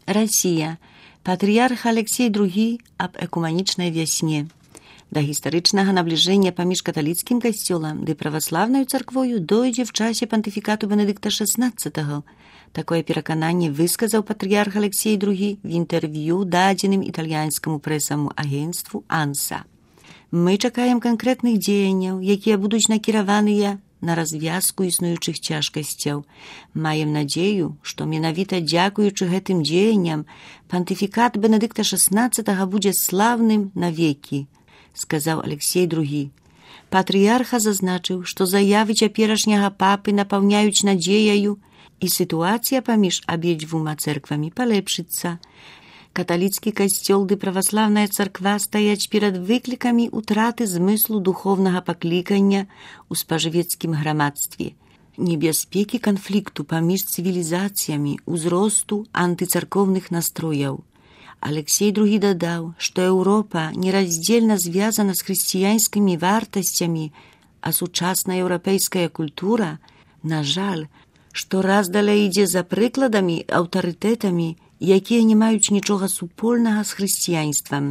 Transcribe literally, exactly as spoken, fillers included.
Расія. Патрыярх Алексей другі аб экуманічнай вясне. Да гістарычнага набліжэння паміж каталіцкім касцёлам ды праваслаўнаю царквою дойдзе в часе пантыфікату Бенедыкта шаснаццатага. Такое перакананне высказаў патрыярх Алексей другі в інтэрв'ю дадзеным італьянскаму прэсаму агенцтву «Анса». Мы чакаем канкрэтных дзеянняў, якія будуць накіраваныя на развязку існуючых цяжкасцяў. Маем надзею, што менавіта дзякуючы гэтым дзеянням пантыфікат Бенедыкта шаснаццатага будзе славным навекі, сказаў Алексей другі. Патрыярха зазначыў, што заявы цяперашняга папы напаўняюць надзеяю, і сітуацыя паміж абедзвюма цэрквамі палепшыцца. Каталіцкі касцёл ды праваслаўная царква стаяць перад выклікамі ўтраты змыслу духовнага паклікання ў спажывецкім грамадстве, небяспекі канфлікту паміж цывілізацыямі, узросту антыцарковных настрояў. Алексей другі дадаў, што Еўропа нераздзельна звязана з хрысціянскімі вартасцямі, а сучасная еўрапейская культура, на жаль, што раз далей ідзе за прыкладамі, аўтарытэтамі, якія не маюць нічога супольнага з хрысціянствам.